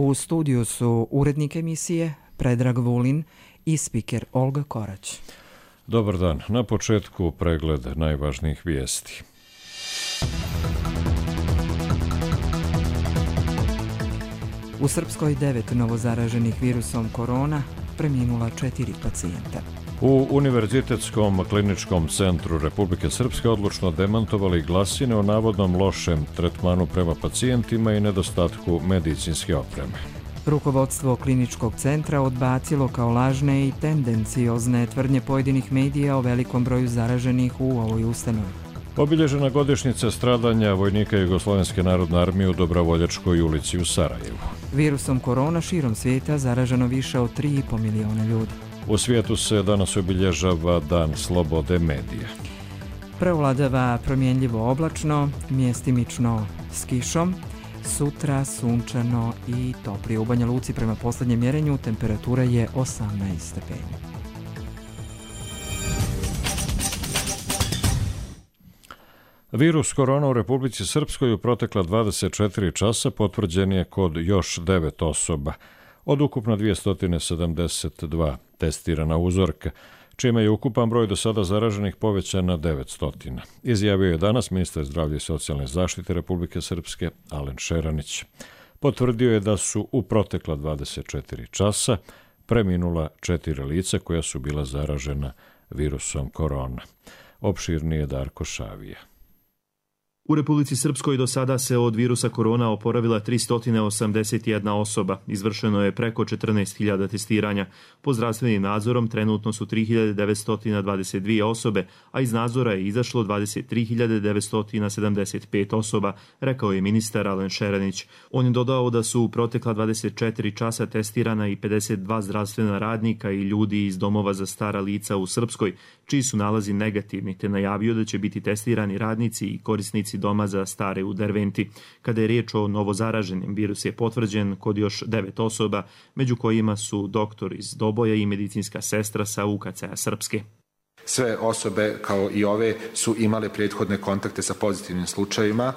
U studiju su urednik emisije Predrag Vulin i spiker Olga Korać. Dobar dan. Na početku pregled najvažnijih vijesti. U Srpskoj 9 novozaraženih virusom korona, preminula 4 pacijenta. U Univerzitetskom kliničkom centru Republike Srpske odlučno demantovali glasine o navodnom lošem tretmanu prema pacijentima i nedostatku medicinske opreme. Rukovodstvo kliničkog centra odbacilo kao lažne i tendenciozne tvrdnje pojedinih medija o velikom broju zaraženih u ovoj ustanovi. Obilježena godišnjica stradanja vojnika Jugoslovenske narodne armije u Dobrovoljačkoj ulici u Sarajevu. Virusom korona širom svijeta zaraženo više od 3,5 miliona ljudi. U svijetu se danas obilježava Dan slobode medija. Preovladava promjenljivo oblačno, mjestimično s kišom, sutra sunčano i toplije. U Banja Luci prema posljednjem mjerenju temperatura je 18 stepeni. Virus korona u Republici Srpskoj u protekla 24 časa potvrđen je kod još 9 osoba, od ukupno 272 testirana uzorka, čime je ukupan broj do sada zaraženih povećan na 900. Izjavio je danas ministar zdravlja i socijalne zaštite Republike Srpske Alen Šeranić. Potvrdio je da su u protekla 24 časa preminula 4 lica koja su bila zaražena virusom korona. Opširnije Darko Šavija. U Republici Srpskoj do sada se od virusa korona oporavila 381 osoba. Izvršeno je preko 14.000 testiranja. Pod zdravstvenim nadzorom trenutno su 3.922 osobe, a iz nadzora je izašlo 23.975 osoba, rekao je ministar Alen Šeranić. On je dodao da su u protekla 24 časa testirana i 52 zdravstvena radnika i ljudi iz domova za stara lica u Srpskoj, čiji su nalazi negativni, te najavio da će biti testirani radnici i korisnici doma za stare u Derventi. Kada je riječ o novozaraženim, virus je potvrđen kod još 9 osoba, među kojima su doktor iz Doboja i medicinska sestra sa UKC-a Srpske. Sve osobe, kao i ove, su imale prethodne kontakte sa pozitivnim slučajevima.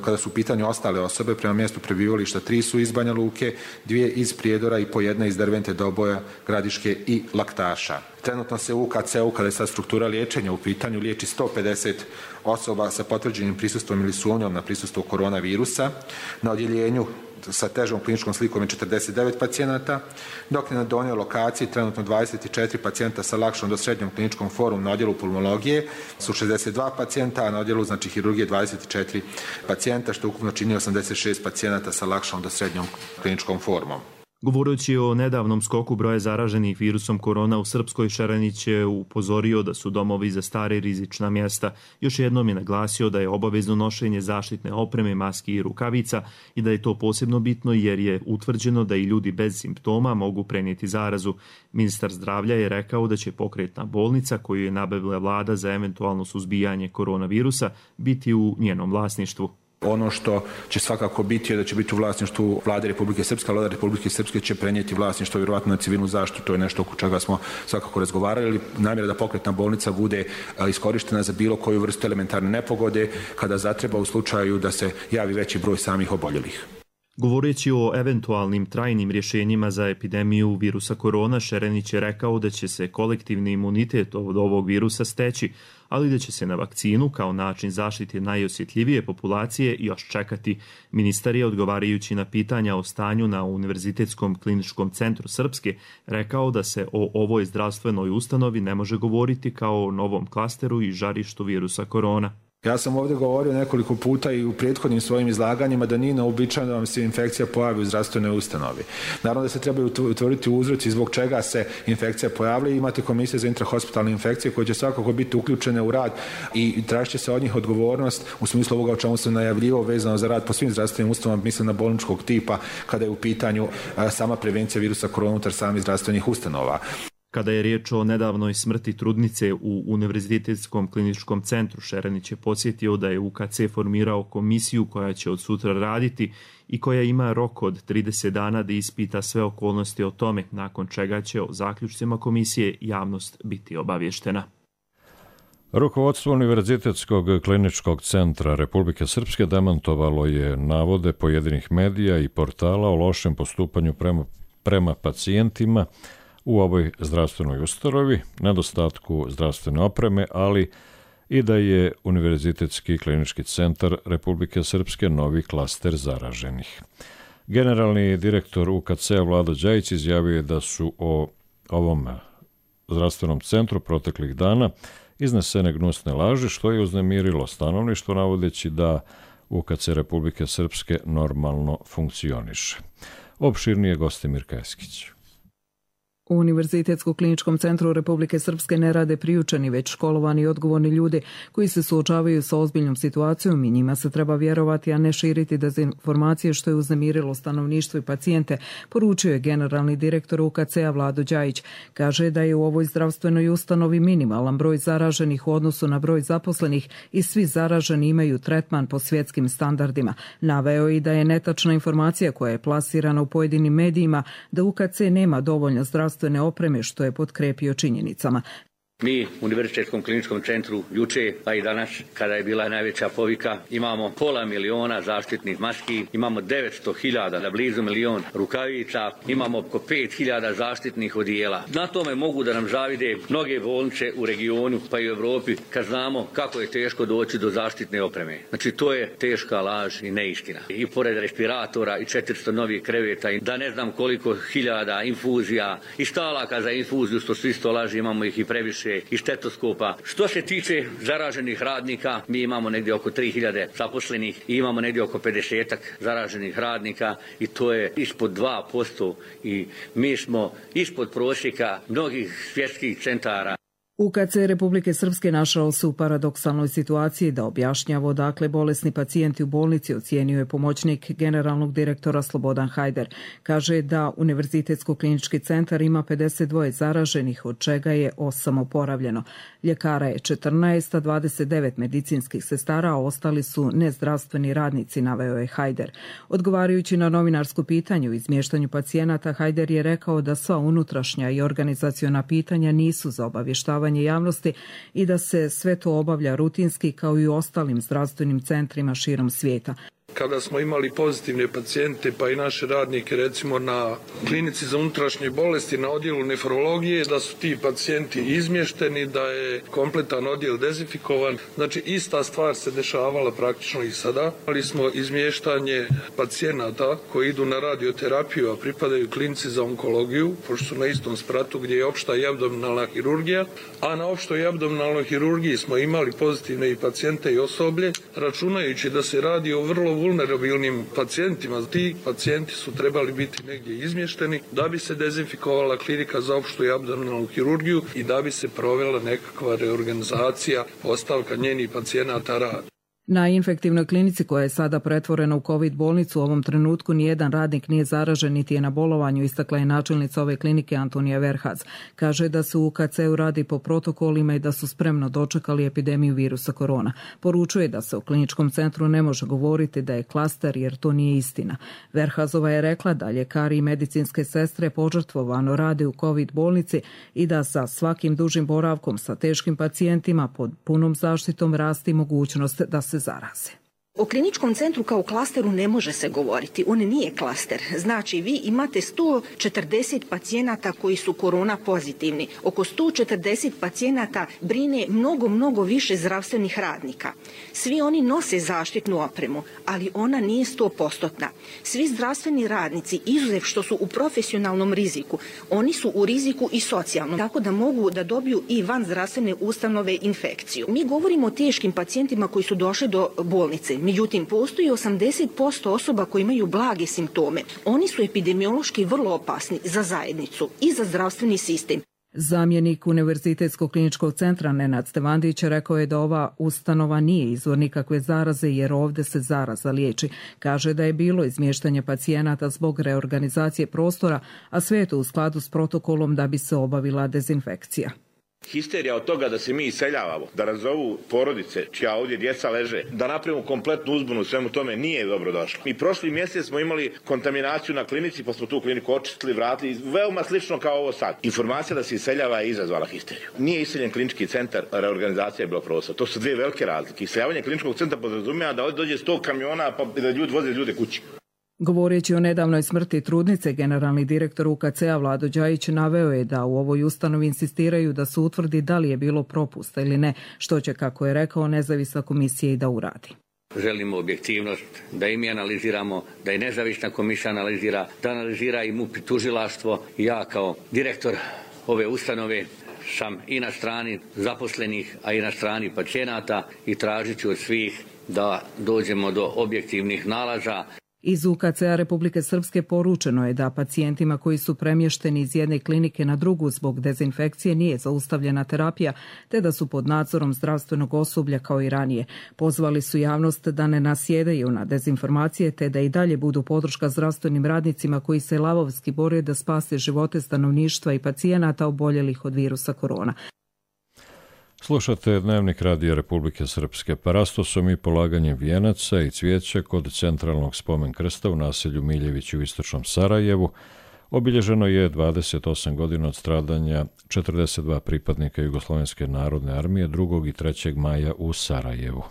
Kada su u pitanju ostale osobe, prema mjestu prebivališta 3 su iz Banja Luke, 2 iz Prijedora i po 1 iz Dervente, Doboja, Gradiške i Laktaša. Trenutno se u UKC-u, kada je sad struktura liječenja u pitanju, liječi 150 osoba sa potvrđenim prisustvom ili sumnjom na prisustvo koronavirusa. Na odjeljenju sa težom kliničkom slikom je 49 pacijenata, dok je na donjoj lokaciji trenutno 24 pacijenta sa lakšom do srednjom kliničkom formom na odjelu pulmologije su 62 pacijenta, a na odjelu hirurgije 24 pacijenta, što ukupno čini 86 pacijenata sa lakšom do srednjom kliničkom formom. Govoreći o nedavnom skoku broja zaraženih virusom korona u Srpskoj, Šeranić je upozorio da su domovi za stare rizična mjesta. Još jednom je naglasio da je obavezno nošenje zaštitne opreme, maski i rukavica i da je to posebno bitno jer je utvrđeno da i ljudi bez simptoma mogu prenijeti zarazu. Ministar zdravlja je rekao da će pokretna bolnica koju je nabavila vlada za eventualno suzbijanje koronavirusa biti u njenom vlasništvu. Ono što će svakako biti je da će biti u vlasništvu Vlade Republike Srpske, a Vlada Republike Srpske će prenijeti vlasništvo vjerovatno na civilnu zaštitu. To je nešto oko čega smo svakako razgovarali. Namjera da pokretna bolnica bude iskorištena za bilo koju vrstu elementarne nepogode kada zatreba u slučaju da se javi veći broj samih oboljelih. Govoreći o eventualnim trajnim rješenjima za epidemiju virusa korona, Šeranić je rekao da će se kolektivni imunitet od ovog virusa steći, ali da će se na vakcinu kao način zaštite najosjetljivije populacije još čekati. Ministar je, odgovarajući na pitanja o stanju na Univerzitetskom kliničkom centru Srpske, rekao da se o ovoj zdravstvenoj ustanovi ne može govoriti kao o novom klasteru i žarištu virusa korona. Ja sam ovdje govorio nekoliko puta i u prethodnim svojim izlaganjima da nije neobičajno da vam se infekcija pojavi u zdravstvenoj ustanovi. Naravno da se trebaju utvrditi uzroci zbog čega se infekcija pojavlja i imate komisije za intrahospitalne infekcije koje će svakako biti uključene u rad i tražit će se od njih odgovornost u smislu ovoga o čemu sam najavljivao vezano za rad po svim zdravstvenim ustanovama, mislim na bolničkog tipa kada je u pitanju sama prevencija virusa korona unutar samih zdravstvenih ustanova. Kada je riječ o nedavnoj smrti trudnice u Univerzitetskom kliničkom centru, Šeranić je podsjetio da je UKC formirao komisiju koja će od sutra raditi i koja ima rok od 30 dana da ispita sve okolnosti o tome, nakon čega će o zaključcima komisije javnost biti obavještena. Rukovodstvo Univerzitetskog kliničkog centra Republike Srpske demantovalo je navode pojedinih medija i portala o lošem postupanju prema pacijentima u ovoj zdravstvenoj ustanovi, nedostatku zdravstvene opreme, ali i da je Univerzitetski klinički centar Republike Srpske novi klaster zaraženih. Generalni direktor UKC-a Vlado Đajić izjavio je da su o ovom zdravstvenom centru proteklih dana iznesene gnusne laži, što je uznemirilo stanovništvo, navodeći da UKC Republike Srpske normalno funkcioniše. Opširnije Gostimir Keskić. U Univerzitetskom kliničkom centru Republike Srpske ne rade priučeni, već školovani i odgovorni ljudi koji se suočavaju sa ozbiljnom situacijom i njima se treba vjerovati, a ne širiti dezinformacije, što je uznemirilo stanovništvo i pacijente, poručio je generalni direktor UKC-a Vlado Đajić. Kaže da je u ovoj zdravstvenoj ustanovi minimalan broj zaraženih u odnosu na broj zaposlenih i svi zaraženi imaju tretman po svjetskim standardima. Naveo i da je netačna informacija koja je plasirana u pojedinim medijima da UKC nema dovoljno zdravstvene opreme, što je potkrepio činjenicama. Mi u Univerzitetskom kliničkom centru juče, pa i danas, kada je bila najveća povika, imamo 500.000 zaštitnih maski, imamo 900.000, da blizu 1.000.000 rukavica, imamo oko 5.000 zaštitnih odijela. Na tome mogu da nam zavide mnoge bolnice u regionu, pa i u Evropi, kad znamo kako je teško doći do zaštitne opreme. Znači, to je teška laž i neistina. I pored respiratora i 400 novih kreveta, i da ne znam koliko hiljada infuzija i stalaka za infuziju, što svi sto laži, imamo ih i previše, i stetoskopa. Što se tiče zaraženih radnika, mi imamo negdje oko 3.000 zaposlenih i imamo negdje oko 50 zaraženih radnika i to je ispod 2% i mi smo ispod prosjeka mnogih svjetskih centara. UKC Republike Srpske našao se u paradoksalnoj situaciji da objašnjava odakle bolesni pacijenti u bolnici, ocijenio je pomoćnik generalnog direktora Slobodan Hajder. Kaže da Univerzitetsko klinički centar ima 52 zaraženih, od čega je 8 oporavljeno. Ljekara je 14, a 29 medicinskih sestara, a ostali su nezdravstveni radnici, naveo je Hajder. Odgovarajući na novinarsko pitanje o izmještanju pacijenata, Hajder je rekao da sva unutrašnja i organizaciona pitanja nisu za obavještavanje javnosti i da se sve to obavlja rutinski kao i u ostalim zdravstvenim centrima širom svijeta. Kada smo imali pozitivne pacijente, pa i naše radnike, recimo na klinici za unutrašnje bolesti, na odjelu nefrologije, da su ti pacijenti izmješteni, da je kompletan odjel dezinfikovan. Znači, ista stvar se dešavala praktično i sada. Ali smo izmještanje pacijenata koji idu na radioterapiju, a pripadaju klinici za onkologiju, pošto su na istom spratu gdje je opšta i abdominalna hirurgija, a na opštoj i abdominalnoj hirurgiji smo imali pozitivne i pacijente i osoblje, računajući da se radi o vrlo vulnerabilnim pacijentima. Ti pacijenti su trebali biti negdje izmješteni da bi se dezinfikovala klinika za opštu i abdominalnu hirurgiju i da bi se provela nekakva reorganizacija, ostavka njenih pacijenata rada. Na infektivnoj klinici koja je sada pretvorena u COVID bolnicu u ovom trenutku nijedan radnik nije zaražen niti je na bolovanju, istakla je načelnica ove klinike Antonija Verhaz. Kaže da se u UKC-u radi po protokolima i da su spremno dočekali epidemiju virusa korona. Poručuje da se u kliničkom centru ne može govoriti da je klaster jer to nije istina. Verhazova je rekla da ljekari i medicinske sestre požrtvovano rade u COVID bolnici i da sa svakim dužim boravkom sa teškim pacijentima pod punom zaštitom rasti mogućnost da se zaraze. O kliničkom centru kao klasteru ne može se govoriti. On nije klaster. Znači, vi imate 140 pacijenata koji su korona pozitivni. Oko 140 pacijenata brine mnogo više zdravstvenih radnika. Svi oni nose zaštitnu opremu, ali ona nije 100%. Svi zdravstveni radnici, izuzev što su u profesionalnom riziku, oni su u riziku i socijalnom, tako da mogu da dobiju i van zdravstvene ustanove infekciju. Mi govorimo o teškim pacijentima koji su došli do bolnice. Međutim, postoji 80% osoba koji imaju blage simptome. Oni su epidemiološki vrlo opasni za zajednicu i za zdravstveni sistem. Zamjenik Univerzitetskog kliničkog centra Nenad Stevandić rekao je da ova ustanova nije izvor nikakve zaraze jer ovdje se zaraza liječi. Kaže da je bilo izmještanje pacijenata zbog reorganizacije prostora, a sve je to u skladu s protokolom da bi se obavila dezinfekcija. Histerija od toga da se mi iseljavamo, da razovu porodice čija ovdje djeca leže, da napravimo kompletnu uzbunu u svemu tome nije dobro došlo. Mi prošli mjesec smo imali kontaminaciju na klinici, pa smo tu kliniku očistili, vratili, veoma slično kao ovo sad. Informacija da se iseljava je izazvala histeriju. Nije iseljen klinički centar, reorganizacija je bila prostor. To su dvije velike razlike. Iseljavanje kliničkog centra podrazumijeva da ovdje dođe 100 kamiona pa da ljudi voze ljude kući. Govoreći o nedavnoj smrti trudnice, generalni direktor UKC-a Vlado Đajić naveo je da u ovoj ustanovi insistiraju da se utvrdi da li je bilo propusta ili ne, što će, kako je rekao, nezavisna komisija i da uradi. Želimo objektivnost, da i mi analiziramo, da i nezavisna komisija analizira, da analizira i MUP i tužilaštvo. Ja kao direktor ove ustanove sam i na strani zaposlenih, a i na strani pacijenata i tražit ću od svih da dođemo do objektivnih nalaza. Iz UKC-a Republike Srpske poručeno je da pacijentima koji su premješteni iz jedne klinike na drugu zbog dezinfekcije nije zaustavljena terapija, te da su pod nadzorom zdravstvenog osoblja kao i ranije. Pozvali su javnost da ne nasjedaju na dezinformacije, te da i dalje budu podrška zdravstvenim radnicima koji se lavovski bore da spase živote stanovništva i pacijenata oboljelih od virusa korona. Slušate Dnevnik Radija Republike Srpske. Parastosom i polaganjem vijenaca i cvijeća kod centralnog spomen krsta u naselju Miljević u istočnom Sarajevu obilježeno je 28 godina od stradanja 42 pripadnika Jugoslovenske narodne armije 2. i 3. maja u Sarajevu.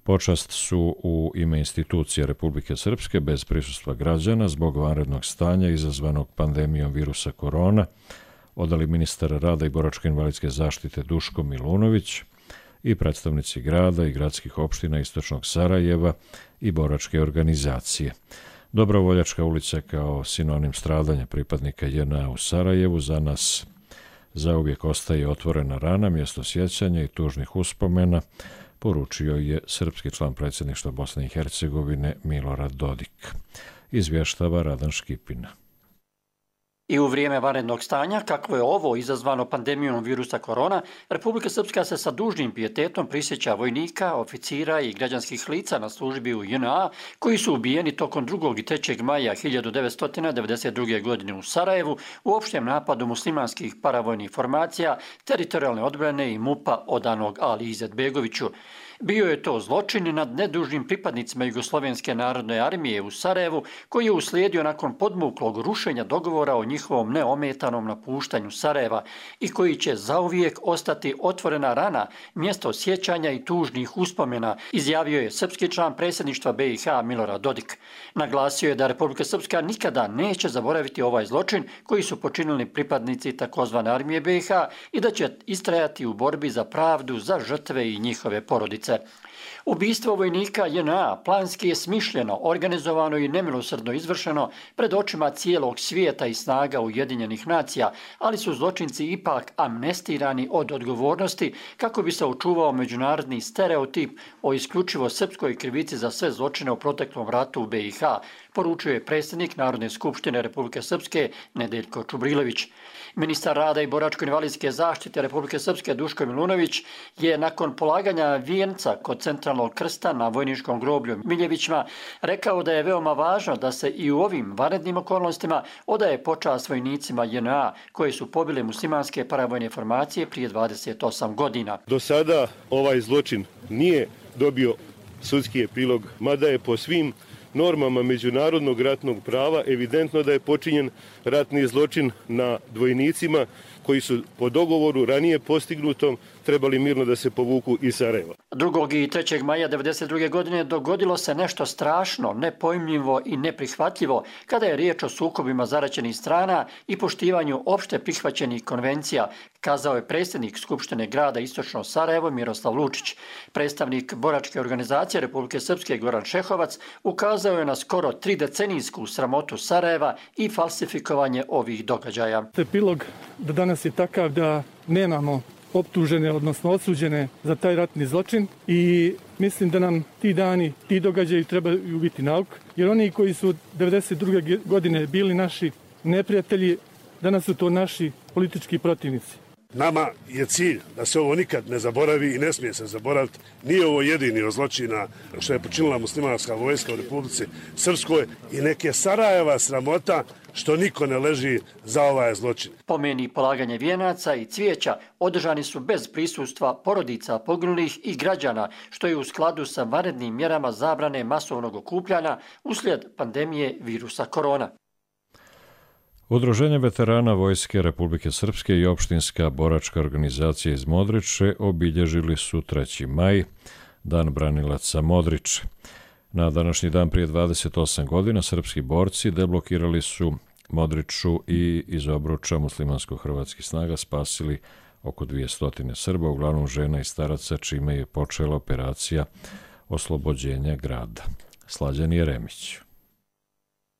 Počast su u ime institucije Republike Srpske bez prisustva građana zbog vanrednog stanja izazvanog pandemijom virusa korona odali ministar rada i boračko-invalidske zaštite Duško Milunović i predstavnici grada i gradskih opština istočnog Sarajeva i boračke organizacije. Dobrovoljačka ulica kao sinonim stradanja pripadnika JNA u Sarajevu za nas zauvijek ostaje otvorena rana, mjesto sjećanja i tužnih uspomena, poručio je srpski član predsjedništva Bosne i Hercegovine Milorad Dodik. Izvještava Radan Škipina. I u vrijeme vanrednog stanja, kakvo je ovo izazvano pandemijom virusa korona, Republika Srpska se sa dužnim pijetetom prisjeća vojnika, oficira i građanskih lica na službi u JNA koji su ubijeni tokom 2. i 3. maja 1992. godine u Sarajevu u opštem napadu muslimanskih paravojnih formacija, teritorijalne odbrane i MUP-a odanog Ali Izetbegoviću. Bio je to zločin nad nedužnim pripadnicima Jugoslovenske narodne armije u Sarajevu, koji je uslijedio nakon podmuklog rušenja dogovora o njihovom neometanom napuštanju Sarajeva i koji će zauvijek ostati otvorena rana, mjesto sjećanja i tužnih uspomena, izjavio je srpski član predsjedništva BiH Milorad Dodik. Naglasio je da Republika Srpska nikada neće zaboraviti ovaj zločin koji su počinili pripadnici takozvane armije BiH i da će istrajati u borbi za pravdu za žrtve i njihove porodice. Ubistvo vojnika JNA planski je smišljeno, organizovano i nemilosrdno izvršeno pred očima cijelog svijeta i snaga Ujedinjenih nacija, ali su zločinci ipak amnestirani od odgovornosti kako bi se očuvao međunarodni stereotip o isključivo srpskoj krivici za sve zločine u proteklom ratu u BiH, poručio je predsjednik Narodne skupštine Republike Srpske Nedeljko Čubrilović. Ministar rada i boračko-invalidske zaštite Republike Srpske Duško Milunović je nakon polaganja vijenca kod centralnog krsta na vojničkom groblju Miljevićima rekao da je veoma važno da se i u ovim vanrednim okolnostima odaje počast vojnicima JNA koji su pobili muslimanske paravojne formacije prije 28 godina. Do sada ovaj zločin nije dobio sudski epilog, mada je po svim normama međunarodnog ratnog prava evidentno da je počinjen ratni zločin na vojnicima koji su po dogovoru ranije postignutom trebali mirno da se povuku iz Sarajeva. 2. i 3. maja 1992. godine dogodilo se nešto strašno, nepojmljivo i neprihvatljivo kada je riječ o sukobima zaraćenih strana i poštivanju opšte prihvaćenih konvencija, kazao je predsjednik Skupštine grada Istočno Sarajevo Miroslav Lučić. Predstavnik boračke organizacije Republike Srpske Goran Šehovac ukazao je na skoro 3-decenijsku sramotu Sarajeva i falsifikovanje ovih događaja. Epilog do danas je takav da nemamo optužene, odnosno osuđene za taj ratni zločin i mislim da nam ti dani, ti događaji trebaju biti nauk, jer oni koji su 1992. godine bili naši neprijatelji, danas su to naši politički protivnici. Nama je cilj da se ovo nikad ne zaboravi i ne smije se zaboraviti. Nije ovo jedini od zločina što je počinila muslimanska vojska u Republici Srpskoj i neke Sarajeva sramota što niko ne leži za ovaj zločin. Pomeni polaganje vijenaca i cvijeća održani su bez prisustva porodica poginulih i građana, što je u skladu sa vanrednim mjerama zabrane masovnog okupljanja uslijed pandemije virusa korona. Udruženje veterana Vojske Republike Srpske i opštinska boračka organizacija iz Modriče obilježili su 3. maj, Dan branilaca Modriče. Na današnji dan prije 28 godina srpski borci deblokirali su Modriču i iz obruča muslimansko-hrvatskih snaga spasili oko 200 Srba, uglavnom žena i staraca, čime je počela operacija oslobođenja grada. Slađan Jeremić.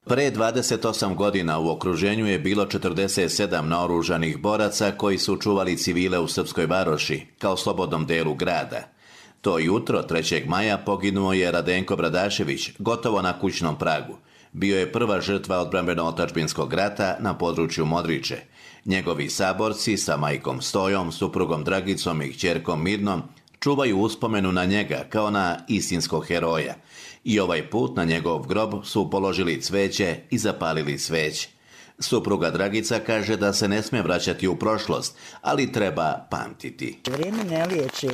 Pre 28 godina u okruženju je bilo 47 naoružanih boraca koji su čuvali civile u Srpskoj Varoši, kao slobodnom delu grada. To jutro, 3. maja, poginuo je Radenko Bradašević, gotovo na kućnom pragu. Bio je prva žrtva odbrambeno-otadžbinskog rata na području Modriče. Njegovi saborci sa majkom Stojom, suprugom Dragicom i kćerkom Mirnom čuvaju uspomenu na njega kao na istinskog heroja. I ovaj put na njegov grob su položili cveće i zapalili sveće. Supruga Dragica kaže da se ne smije vraćati u prošlost, ali treba pamtiti. Vrijeme ne liječi,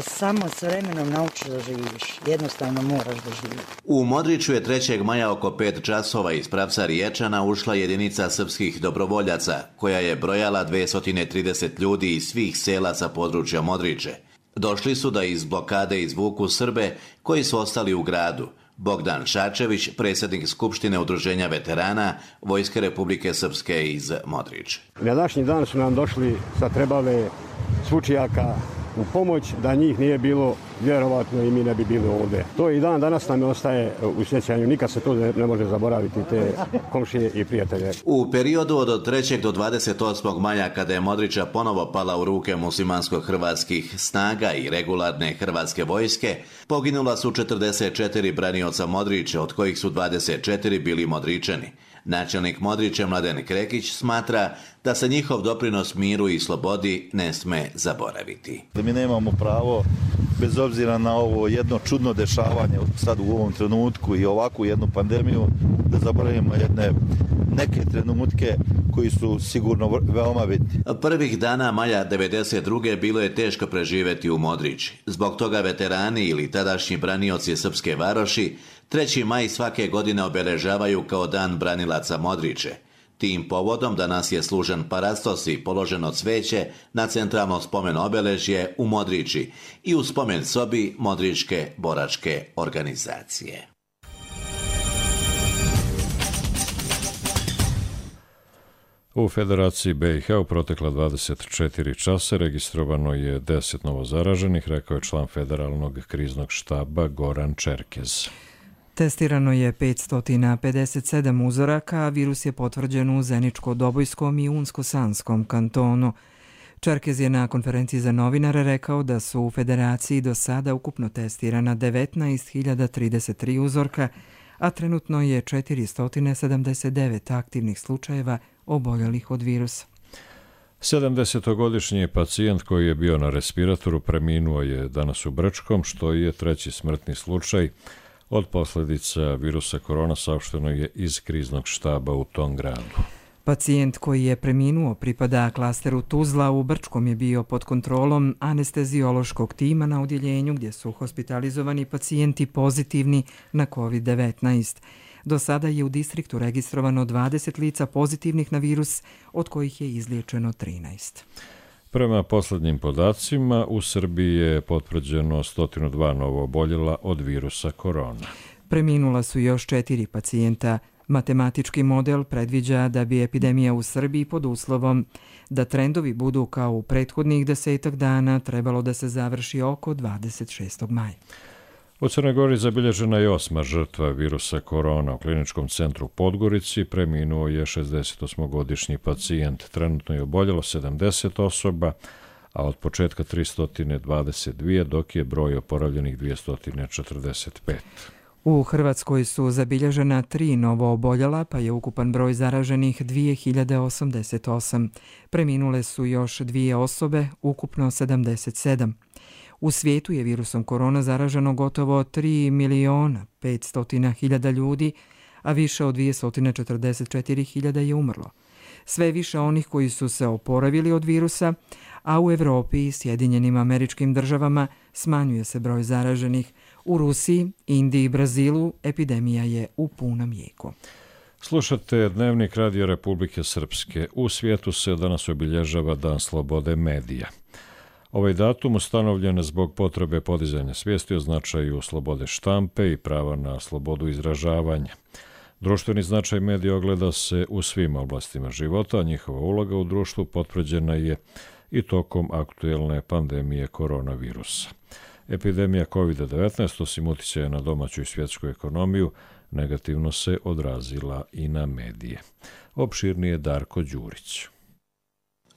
samo s vremenom naučiš da živiš. Jednostavno moraš da živiš. U Modriču je 3. maja oko 5 časova iz pravca Riječana ušla jedinica srpskih dobrovoljaca, koja je brojala 230 ljudi iz svih sela sa područja Modriče. Došli su da iz blokade izvuku Srbe koji su ostali u gradu. Bogdan Šačević, predsjednik Skupštine Udruženja veterana Vojske Republike Srpske iz Modriče. Na današnji dan su nam došli sa trebale svučijaka u pomoć, da njih nije bilo, vjerovatno i mi ne bi bili ovdje. To i dan danas nam ostaje u sjećanju, nikad se to ne može zaboraviti, te komšije i prijatelje. U periodu od 3. do 28. maja, kada je Modriča ponovo pala u ruke muslimansko-hrvatskih snaga i regularne hrvatske vojske, poginula su 44 branioca Modriče, od kojih su 24 bili Modričani. Načelnik Modriče Mladen Krekić smatra da se njihov doprinos miru i slobodi ne sme zaboraviti. Mi nemamo pravo, bez obzira na ovo jedno čudno dešavanje sad u ovom trenutku i ovakvu jednu pandemiju, da zaboravimo neke trenutke koji su sigurno veoma bitni. Prvih dana maja 1992. bilo je teško preživjeti u Modriči. Zbog toga veterani ili tadašnji branioci Srpske Varoši 3. maj svake godine obeležavaju kao Dan branilaca Modriče. Tim povodom danas je služen parastos i položeno cveće na centralno spomen obeležje u Modriči i u spomen sobi Modričke boračke organizacije. U Federaciji BiH u protekla 24 časa registrovano je 10 novozaraženih, rekao je član Federalnog kriznog štaba Goran Čerkez. Testirano je 557 uzoraka, a virus je potvrđen u Zeničko-Dobojskom i Unsko-Sanskom kantonu. Čerkez je na konferenciji za novinare rekao da su u Federaciji do sada ukupno testirana 19.033 uzorka, a trenutno je 479 aktivnih slučajeva oboljelih od virusa. 70-godišnji pacijent koji je bio na respiratoru preminuo je danas u Brčkom, što je 3. smrtni slučaj od posljedica virusa korona, saopšteno je iz kriznog štaba u tom gradu. Pacijent koji je preminuo pripada klasteru Tuzla. U Brčkom je bio pod kontrolom anesteziološkog tima na odjeljenju gdje su hospitalizovani pacijenti pozitivni na COVID-19. Do sada je u distriktu registrovano 20 lica pozitivnih na virus, od kojih je izliječeno 13. Prema posljednjim podacima, u Srbiji je potvrđeno 102 novo oboljela od virusa korona. Preminula su još 4 pacijenta. Matematički model predviđa da bi epidemija u Srbiji pod uslovom da trendovi budu kao u prethodnih 10 dana trebalo da se završi oko 26. maja. U Crnoj Gori zabilježena je 8. žrtva virusa korona. U kliničkom centru Podgorici preminuo je 68-godišnji pacijent. Trenutno je oboljelo 70 osoba, a od početka 322, dok je broj oporavljenih 245. U Hrvatskoj su zabilježena 3 novo oboljela, pa je ukupan broj zaraženih 2088. Preminule su još 2 osobe, ukupno 77. U svijetu je virusom korona zaraženo gotovo 3.500.000 ljudi, a više od 244.000 je umrlo. Sve više onih koji su se oporavili od virusa, a u Europi i Sjedinjenim Američkim Državama smanjuje se broj zaraženih. U Rusiji, Indiji i Brazilu epidemija je u punom jeku. Slušate Dnevnik Radio Republike Srpske. U svijetu se danas obilježava Dan slobode medija. Ovaj datum ustanovljen zbog potrebe podizanja svijesti o značaju slobode štampe i prava na slobodu izražavanja. Društveni značaj medija ogleda se u svim oblastima života, a njihova uloga u društvu potvrđena je i tokom aktuelne pandemije koronavirusa. Epidemija COVID-19, osim uticaja na domaću i svjetsku ekonomiju, negativno se odrazila i na medije. Opširnije Darko Đurić.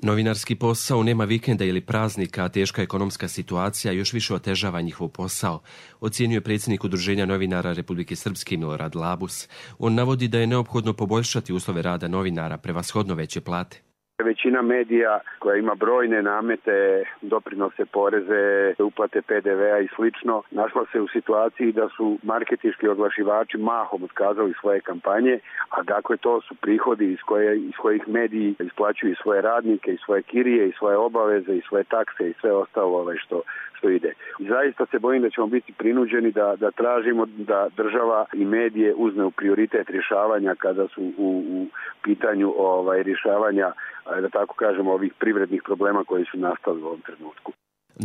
Novinarski posao nema vikenda ili praznika, a teška ekonomska situacija još više otežava njihov posao, ocjenjuje predsjednik Udruženja novinara Republike Srpske Milorad Labus. On navodi da je neophodno poboljšati uslove rada novinara, prevashodno veće plate. Većina medija koja ima brojne namete, doprinose, poreze, uplate PDV-a i slično, našla se u situaciji da su marketinški oglašivači mahom otkazali svoje kampanje, a dakle to su prihodi iz kojih mediji isplaćuju svoje radnike, i svoje kirije, i svoje obaveze, i svoje takse i sve ostalo što ide. I zaista se bojim da ćemo biti prinuđeni da tražimo da država i medije uzme u prioritet rješavanja kada su u pitanju rješavanja, da tako kažemo, ovih privrednih problema koji su nastali u ovom trenutku.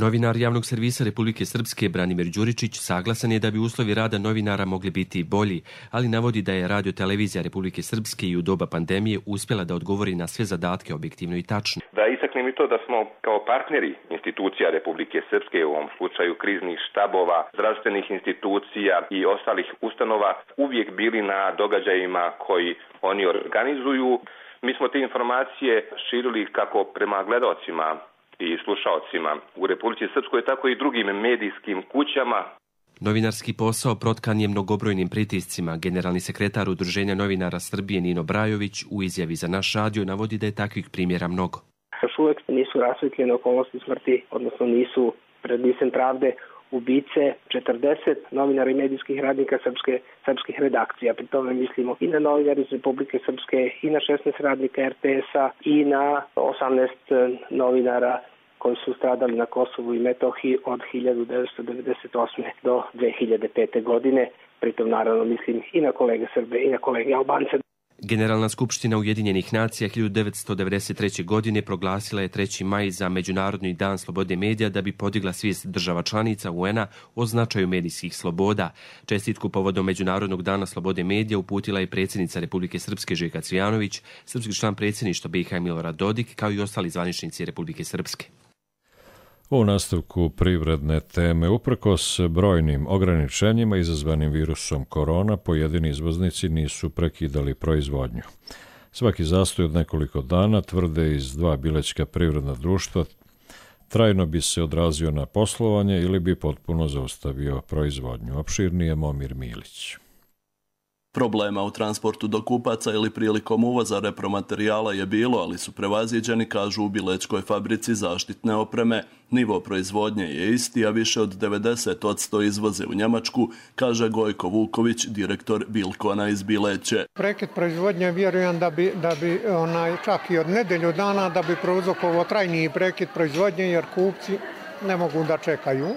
Novinar javnog servisa Republike Srpske Branimir Đuričić saglasan je da bi uslovi rada novinara mogli biti bolji, ali navodi da je Radio-televizija Republike Srpske i u doba pandemije uspjela da odgovori na sve zadatke objektivno i tačno. Da istaknem i to da smo kao partneri institucija Republike Srpske, u ovom slučaju kriznih štabova, zdravstvenih institucija i ostalih ustanova, uvijek bili na događajima koji oni organizuju. Mi smo te informacije širili kako prema gledaocima i slušaocima u Republici Srpskoj, tako i drugim medijskim kućama. Novinarski posao protkan je mnogobrojnim pritiscima. Generalni sekretar Udruženja novinara Srbije Nino Brajović u izjavi za naš radio navodi da je takvih primjera mnogo. Još uvijek nisu rasvetljene okolnosti smrti, odnosno nisu pred licem pravde ubice 40 novinara i medijskih radnika srpskih redakcija. Pri tome mislimo i na novinara iz Republike Srpske, i na 16 radnika RTS-a, i na 18 novinara koji su stradali na Kosovu i Metohiji od 1998. do 2005. godine. Pritom naravno mislim i na kolege Srbe i na kolege Albance. Generalna skupština Ujedinjenih nacija 1993. godine proglasila je 3. maj za Međunarodni dan slobode medija da bi podigla svijest država članica UN-a o značaju medijskih sloboda. Čestitku povodom Međunarodnog dana slobode medija uputila je predsjednica Republike Srpske Željka Cvijanović, srpski član predsjedništva BiH Milorad Dodik, kao i ostali zvaničnici Republike Srpske. U nastavku privredne teme, uprkos brojnim ograničenjima izazvanim virusom korona, pojedini izvoznici nisu prekidali proizvodnju. Svaki zastoj od nekoliko dana, tvrde iz 2 bilećka privredna društva, trajno bi se odrazio na poslovanje ili bi potpuno zaustavio proizvodnju. Opširnije Momir Milić. Problema u transportu do kupaca ili prilikom uvoza repromaterijala je bilo, ali su prevaziđeni, kažu u bilećkoj fabrici zaštitne opreme. Nivo proizvodnje je isti, a više od 90% izvoze u Njemačku, kaže Gojko Vuković, direktor Bilkona iz Bileće. Prekid proizvodnje vjerujem da bi čak i od nedelju dana da bi prouzrokovao trajniji prekid proizvodnje, jer kupci ne mogu da čekaju.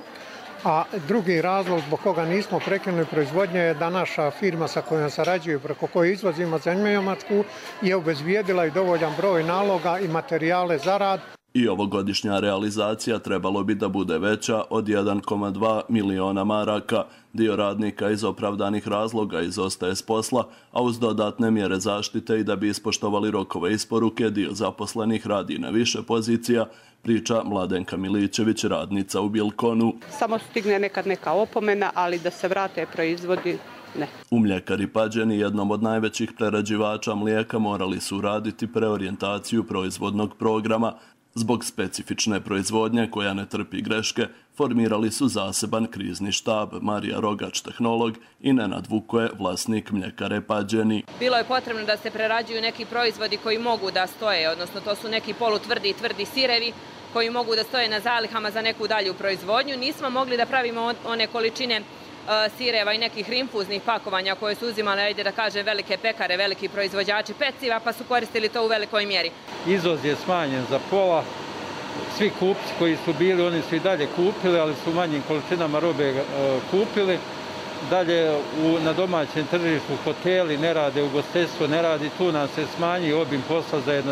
A drugi razlog zbog koga nismo prekinuli proizvodnje je da naša firma sa kojom sarađuju, preko koje izvozimo za Njemačku, je obezbijedila i dovoljan broj naloga i materijale za rad. I ovogodišnja realizacija trebalo bi da bude veća od 1,2 miliona maraka. Dio radnika iz opravdanih razloga izostaje s posla, a uz dodatne mjere zaštite i da bi ispoštovali rokove isporuke, dio zaposlenih radi na više pozicija, priča Mladenka Milićević, radnica u Bilkonu. Samo stigne nekad neka opomena, ali da se vrate proizvodi, ne. U Mljekari Pađeni, jednom od najvećih prerađivača mlijeka, morali su raditi preorijentaciju proizvodnog programa. Zbog specifične proizvodnje koja ne trpi greške, formirali su zaseban krizni štab. Marija Rogač, tehnolog, i Nenad Vukoje, vlasnik mljekare Pađeni. Bilo je potrebno da se prerađuju neki proizvodi koji mogu da stoje, odnosno to su neki polutvrdi i tvrdi sirevi koji mogu da stoje na zalihama za neku dalju proizvodnju. Nismo mogli da pravimo one količine sireva i nekih rinfuznih pakovanja koje su uzimale, ajde da kažem, velike pekare, veliki proizvođači peciva, pa su koristili to u velikoj mjeri. Izvoz je smanjen za pola. Svi kupci koji su bili, oni su i dalje kupili, ali su u manjim količinama robe kupili. Dalje na domaćem tržištu hoteli ne rade, ugostiteljstvo ne radi, tu nam se smanji obim posla za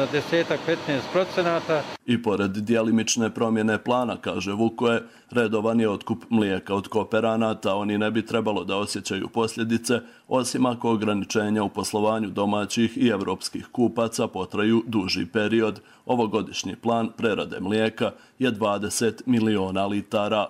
10-15%. I pored djelimične promjene plana, kaže Vukoje, redovan je otkup mlijeka od kooperanata. Oni ne bi trebalo da osjećaju posljedice, osim ako ograničenja u poslovanju domaćih i evropskih kupaca potraju duži period. Ovogodišnji plan prerade mlijeka je 20 miliona litara.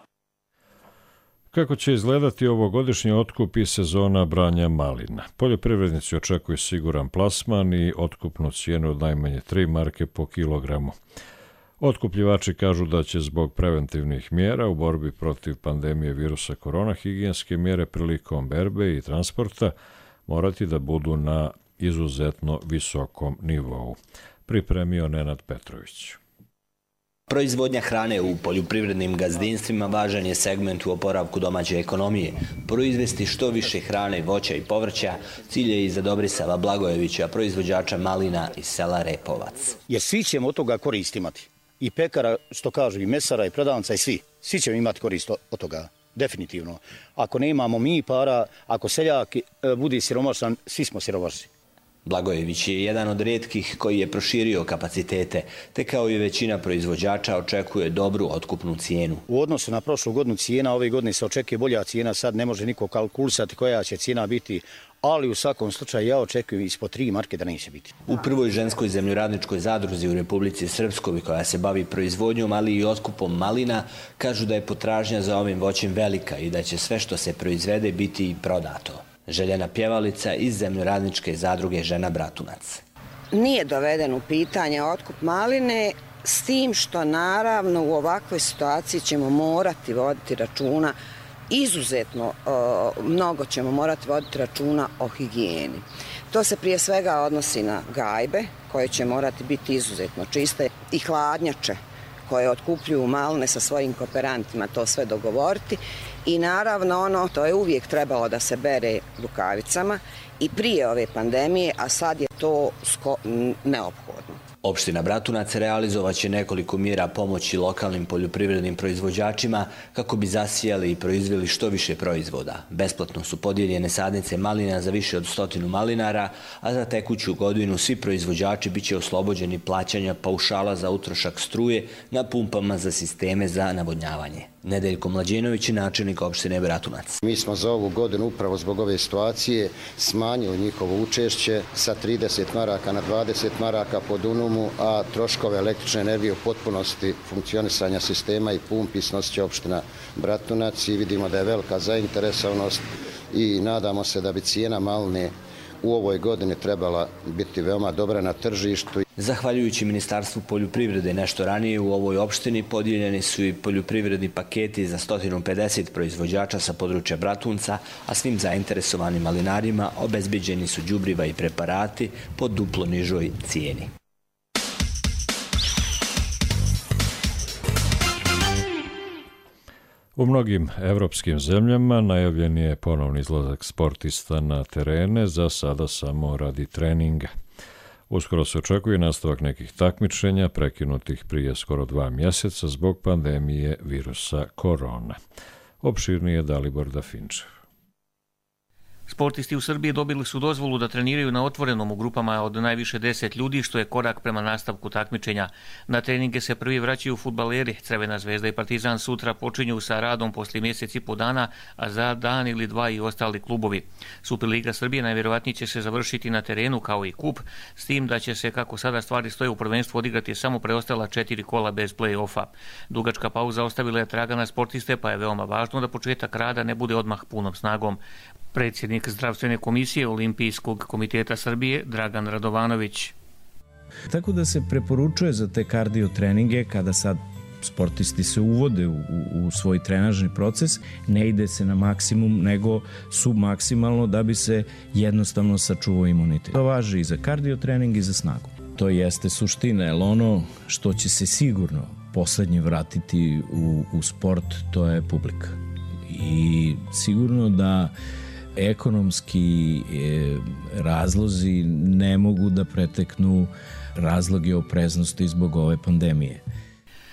Kako će izgledati ovogodišnji otkup i sezona branja malina? Poljoprivrednici očekuju siguran plasman i otkupnu cijenu od najmanje 3 marke po kilogramu. Otkupljivači kažu da će zbog preventivnih mjera u borbi protiv pandemije virusa korona higijenske mjere prilikom berbe i transporta morati da budu na izuzetno visokom nivou. Pripremio Nenad Petrović. Proizvodnja hrane u poljoprivrednim gazdinstvima važan je segment u oporavku domaće ekonomije. Proizvesti što više hrane, voća i povrća cilj je i za Dobrisava Blagojevića, proizvođača malina iz sela Repovac. Jer svi ćemo od toga korist imati. I pekara, što kažu, i mesara, i prodavnica, i svi. Svi ćemo imati korist od toga, definitivno. Ako ne imamo mi para, ako seljak bude siromašan, svi smo siromašni. Blagojević je jedan od rijetkih koji je proširio kapacitete, te kao i većina proizvođača očekuje dobru otkupnu cijenu. U odnosu na prošlu godinu cijena, ove godine se očekuje bolja cijena, sad ne može niko kalkulisati koja će cijena biti, ali u svakom slučaju ja očekujem ispod 3 marke da neće biti. U prvoj ženskoj zemljoradničkoj zadruzi u Republici Srpskoj, koja se bavi proizvodnjom, ali i otkupom malina, kažu da je potražnja za ovim voćem velika i da će sve što se proizvede biti i prodato. Željena Pjevalica iz zemljoradničke zadruge Žena Bratunac. Nije doveden u pitanje otkup maline, s tim što naravno u ovakvoj situaciji ćemo morati voditi računa, izuzetno mnogo ćemo morati voditi računa o higijeni. To se prije svega odnosi na gajbe koje će morati biti izuzetno čiste i hladnjače koje otkupljuju maline sa svojim kooperantima, to sve dogovoriti. I naravno to je uvijek trebalo da se bere rukavicama i prije ove pandemije, a sad je to neophodno. Opština Bratunac realizovat će nekoliko mjera pomoći lokalnim poljoprivrednim proizvođačima kako bi zasijali i proizveli što više proizvoda. Besplatno su podijeljene sadnice malina za više od 100 malinara, a za tekuću godinu svi proizvođači biće oslobođeni plaćanja paušala za utrošak struje na pumpama za sisteme za navodnjavanje. Nedeljko Mlađenović je načelnik opštine Bratunac. Mi smo za ovu godinu upravo zbog ove situacije smanjili njihovo učešće sa 30 maraka na 20 maraka po dunumu, a troškove električne energije u potpunosti funkcionisanja sistema i pumpi snosit će opština Bratunac i vidimo da je velika zainteresovanost i nadamo se da bi cijena maline u ovoj godini trebala biti veoma dobra na tržištu. Zahvaljujući Ministarstvu poljoprivrede nešto ranije u ovoj opštini podijeljeni su i poljoprivredni paketi za 150 proizvođača sa područja Bratunca, a svim zainteresovanim malinarima obezbeđeni su đubriva i preparati po duplo nižoj cijeni. U mnogim evropskim zemljama najavljen je ponovni izlazak sportista na terene, za sada samo radi treninga. Uskoro se očekuje nastavak nekih takmičenja prekinutih prije skoro 2 mjeseca zbog pandemije virusa korona. Opširnije Dalibor Dafinčev. Sportisti u Srbiji dobili su dozvolu da treniraju na otvorenom u grupama od najviše 10 ljudi, što je korak prema nastavku takmičenja. Na treninge se prvi vraćaju fudbaleri. Crvena zvezda i Partizan sutra počinju sa radom poslije mjesec i po dana, a za dan ili dva i ostali klubovi. Superliga Srbije najvjerovatnije će se završiti na terenu kao i kup, s tim da će se, kako sada stvari stoje, u prvenstvu odigrati samo preostala 4 kola bez play-offa. Dugačka pauza ostavila je traga na sportiste, pa je veoma važno da početak rada ne bude odmah punom snagom. Predsjednik Zdravstvene komisije Olimpijskog komiteta Srbije Dragan Radovanović. Tako da se preporučuje za te kardio treninge kada sad sportisti se uvode u svoj trenažni proces, ne ide se na maksimum nego submaksimalno da bi se jednostavno sačuvao imunitet. To važi i za kardio trening i za snagu. To jeste suština, jer ono što će se sigurno poslednje vratiti u sport, to je publika. I sigurno da ekonomski razlozi ne mogu da preteknu razloge opreznosti zbog ove pandemije.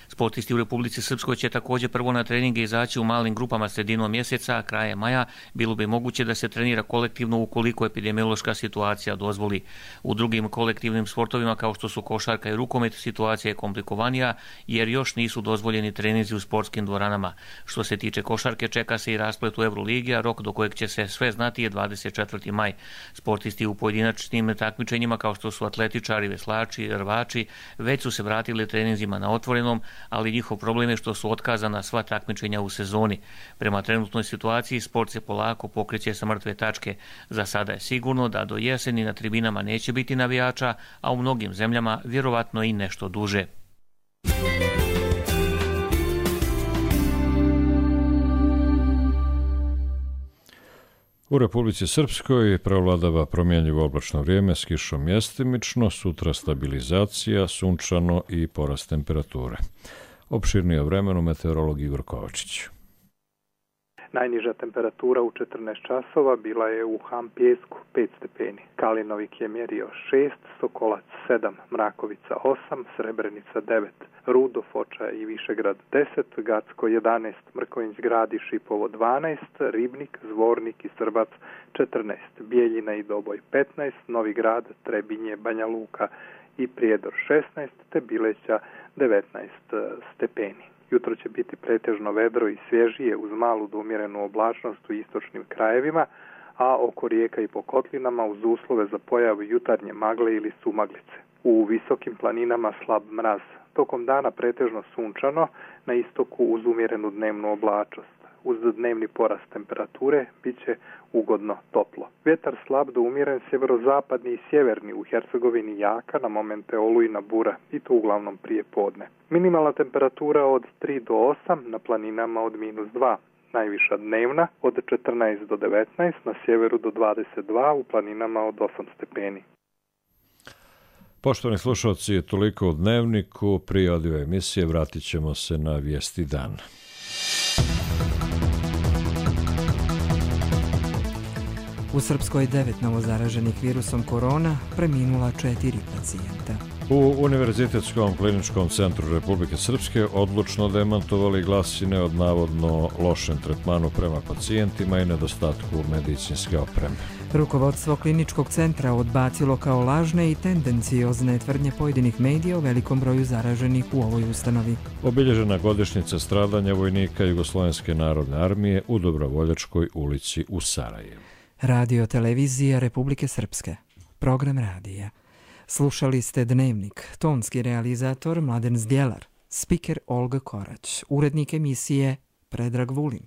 Sportisti u Republici Srpskoj će također prvo na treninge izaći u malim grupama sredinom mjeseca, a krajem maja bilo bi moguće da se trenira kolektivno ukoliko epidemiološka situacija dozvoli. U drugim kolektivnim sportovima kao što su košarka i rukomet situacija je komplikovanija jer još nisu dozvoljeni treninzi u sportskim dvoranama. Što se tiče košarke čeka se i rasplet u Euroligi, a rok do kojeg će se sve znati je 24. maj. Sportisti u pojedinačnim takmičenjima kao što su atletičari, veslači, rvači već su se vratili treninzima na otvorenom, ali njihov problem je što su otkazana sva takmičenja u sezoni. Prema trenutnoj situaciji sport se polako pokreće sa mrtve tačke. Za sada je sigurno da do jeseni na tribinama neće biti navijača, a u mnogim zemljama vjerovatno i nešto duže. U Republici Srpskoj prevladava promjenjivo oblačno vrijeme s kišom mjestimično, sutra stabilizacija, sunčano i porast temperature. Opširnije o vremenu meteorolog Igor Kovačić. Najniža temperatura u 14 časova bila je u Hampijesku 5 stepeni. Kalinovik je mjerio 6, Sokolac 7, Mrakovica 8, Srebrenica 9, Rudo, Foča i Višegrad 10, Gacko 11, Mrkonjić Grad i Šipovo 12, Ribnik, Zvornik i Srbac 14, Bijeljina i Doboj 15, Novi Grad, Trebinje, Banja Luka i Prijedor 16, te Bileća 19 stepeni. Jutro će biti pretežno vedro i svježije uz malu do umjerenu oblačnost u istočnim krajevima, a oko rijeka i po kotlinama uz uslove za pojavu jutarnje magle ili sumaglice. U visokim planinama slab mraz. Tokom dana pretežno sunčano, na istoku uz umjerenu dnevnu oblačnost. Uz dnevni porast temperature bit će ugodno toplo. Vjetar slab do umjeren sjeverozapadni i sjeverni, u Hercegovini jaka, na momente olujna bura i to uglavnom prije podne. Minimalna temperatura od 3 do 8, na planinama od -2. Najviša dnevna od 14 do 19, na sjeveru do 22, u planinama od 8 stepeni. Poštovani slušalci, toliko u Dnevniku. Prije odjeva emisije vratit ćemo se na vijesti dana. U Srpskoj 9 novozaraženih virusom korona, preminula 4 pacijenta. U Univerzitetskom kliničkom centru Republike Srpske odlučno demantovali glasine od navodno lošem tretmanu prema pacijentima i nedostatku medicinske opreme. Rukovodstvo kliničkog centra odbacilo kao lažne i tendenciozne tvrdnje pojedinih medija o velikom broju zaraženih u ovoj ustanovi. Obilježena godišnjica stradanja vojnika Jugoslovenske narodne armije u Dobrovoljačkoj ulici u Sarajevu. Radio televizija Republike Srpske. Program radija. Slušali ste Dnevnik, tonski realizator Mladen Zdjelar, spiker Olga Korać, urednik emisije Predrag Vulin.